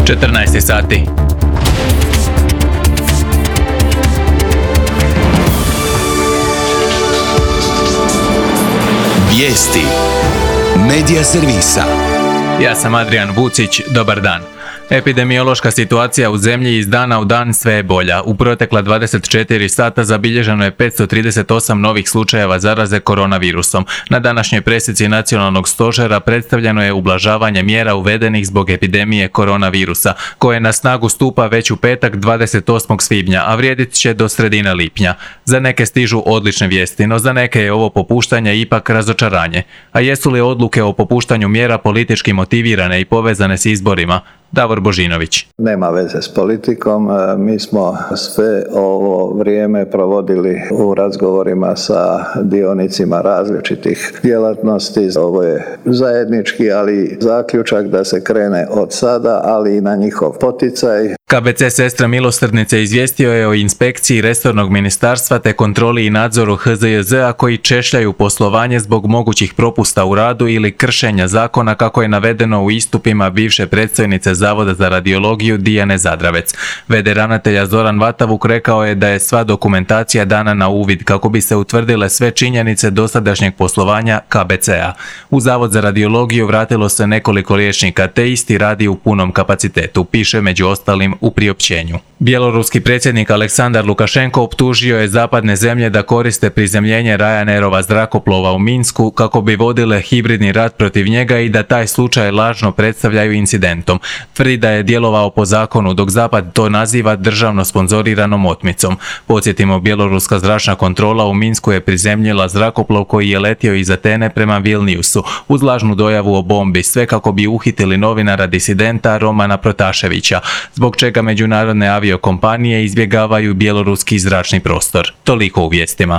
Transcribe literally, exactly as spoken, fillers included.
četrnaest sati. Vijesti Medija servisa. Ja sam Adrian Vucić, dobar dan. Epidemiološka situacija u zemlji iz dana u dan sve je bolja. U protekla dvadeset četiri sata zabilježeno je petsto trideset osam novih slučajeva zaraze koronavirusom. Na današnjoj presici Nacionalnog stožera predstavljeno je ublažavanje mjera uvedenih zbog epidemije koronavirusa, koje na snagu stupa već u petak dvadeset osmog svibnja, a vrijedit će do sredine lipnja. Za neke stižu odlične vijesti, no za neke je ovo popuštanje ipak razočaranje. A jesu li odluke o popuštanju mjera politički motivirane i povezane s izborima? Davor Božinović. Nema veze s politikom, mi smo sve ovo vrijeme provodili u razgovorima sa dionicima različitih djelatnosti. Ovo je zajednički, ali zaključak da se krene od sada, ali i na njihov poticaj. K B C Sestre milosrdnice izvijestio je o inspekciji resornog ministarstva te kontroli i nadzoru H Z J Z-a koji češljaju poslovanje zbog mogućih propusta u radu ili kršenja zakona, kako je navedeno u istupima bivše predstojnice Zavoda za radiologiju Dijane Zadravec. V D ravnatelja Zoran Vatavuk rekao je da je sva dokumentacija dana na uvid kako bi se utvrdile sve činjenice dosadašnjeg poslovanja K B C-a. U Zavod za radiologiju vratilo se nekoliko liječnika te isti radi u punom kapacitetu, piše među ostalim u priopćenju. Bjeloruski predsjednik Aleksandar Lukašenko optužio je zapadne zemlje da koriste prizemljenje Ryanairova zrakoplova u Minsku kako bi vodile hibridni rat protiv njega i da taj slučaj lažno predstavljaju incidentom. Tvrdi da je djelovao po zakonu, dok Zapad to naziva državno sponzoriranom otmicom. Podsjetimo, bjeloruska zračna kontrola u Minsku je prizemljila zrakoplov koji je letio iz Atene prema Vilniusu uz lažnu dojavu o bombi, sve kako bi uhitili novinara disidenta Romana Protaševića, zbog čega međunarodne aviokompanije izbjegavaju bjeloruski zračni prostor. Toliko u vijestima.